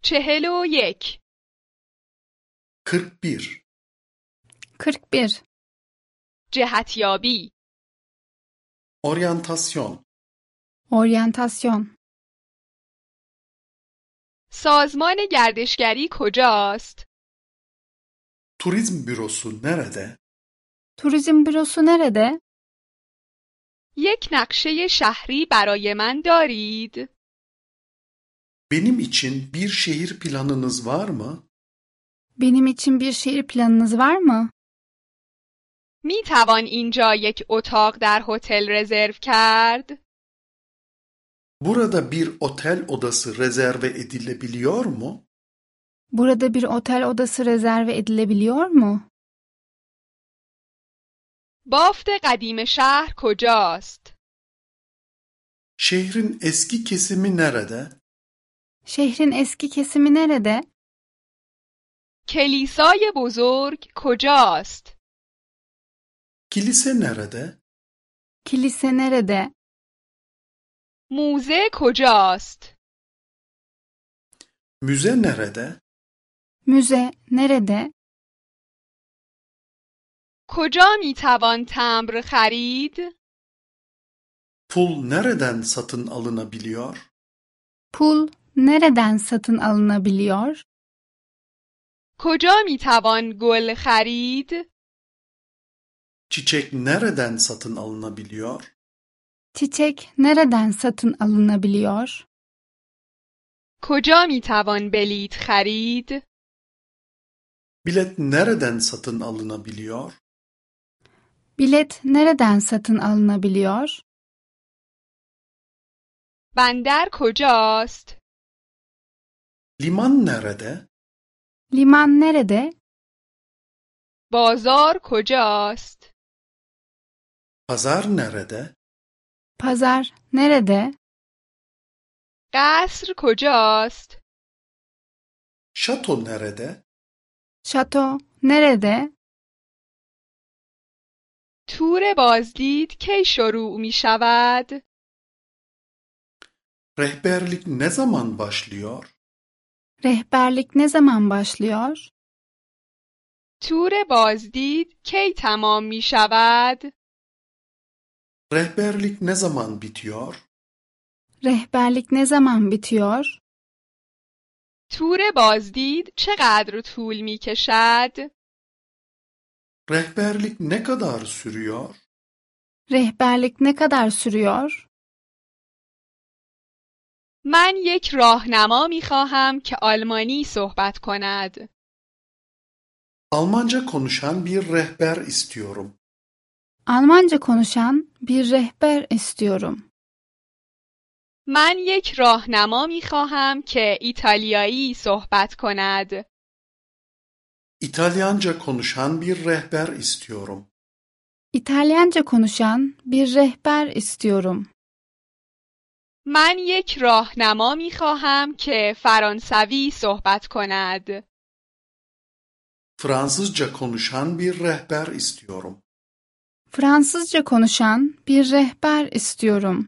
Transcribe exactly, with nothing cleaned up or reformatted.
چهل و یک. kırk bir. kırk bir. جهتیابی. Oryantasyon. Oryantasyon. سازمان گردشگری کجاست؟ Turizm bürosu nerede? Turizm bürosu nerede? یک نقشه شهری برای من دارید؟ Benim için bir şehir planınız var mı? Benim için bir şehir planınız var mı? می توان اینجا یک اتاق در هتل رزرو کرد؟ Burada bir otel odası rezerve edilebiliyor mu? Burada bir otel odası rezerve edilebiliyor mu? بافت قدیم شهر کجاست؟ Şehrin eski kesimi nerede? Şehrin eski kesimi nerede? کلیسای بزرگ کجاست؟ Kilise nerede? Kilise nerede? موزه کجاست؟ Müze nerede? Müze nerede? کجا می توان تمبر خرید؟ Pul nereden satın alınabiliyor? Pul nereden satın alınabiliyor? کجا می توان گل خرید؟ Çiçek nereden satın alınabiliyor? Çiçek nereden satın alınabiliyor? کجا می توان بلیط خرید؟ Bilet nereden satın alınabiliyor? Bilet nereden satın alınabiliyor? بندر کجاست؟ Liman nerede? Liman nerede? بازار کجاست؟ Pazar nerede? Pazar nerede? قصر کجاست؟ Şato nerede? Şato nerede? تور بازدید کی شروع می شود؟ Rehberlik ne zaman başlıyor? Rehberlik ne zaman başlıyor? تور بازدید کی تمام می شود؟ Rehberlik ne zaman bitiyor? Rehberlik ne zaman bitiyor? تور بازدید چقدر طول می کشد؟ Rehberlik ne kadar sürüyor? Rehberlik ne kadar sürüyor? من یک راهنما می خواهم که آلمانی صحبت کند. Almanca konuşan bir rehber istiyorum. Almanca konuşan bir rehber istiyorum. من یک راهنما می خواهم که ایتالیایی صحبت کند. İtalyanca konuşan bir rehber istiyorum. İtalyanca konuşan bir rehber istiyorum. من یک راهنما می خواهم که فرانسوی صحبت کند. Fransızca konuşan bir rehber istiyorum. Fransızca konuşan bir rehber istiyorum.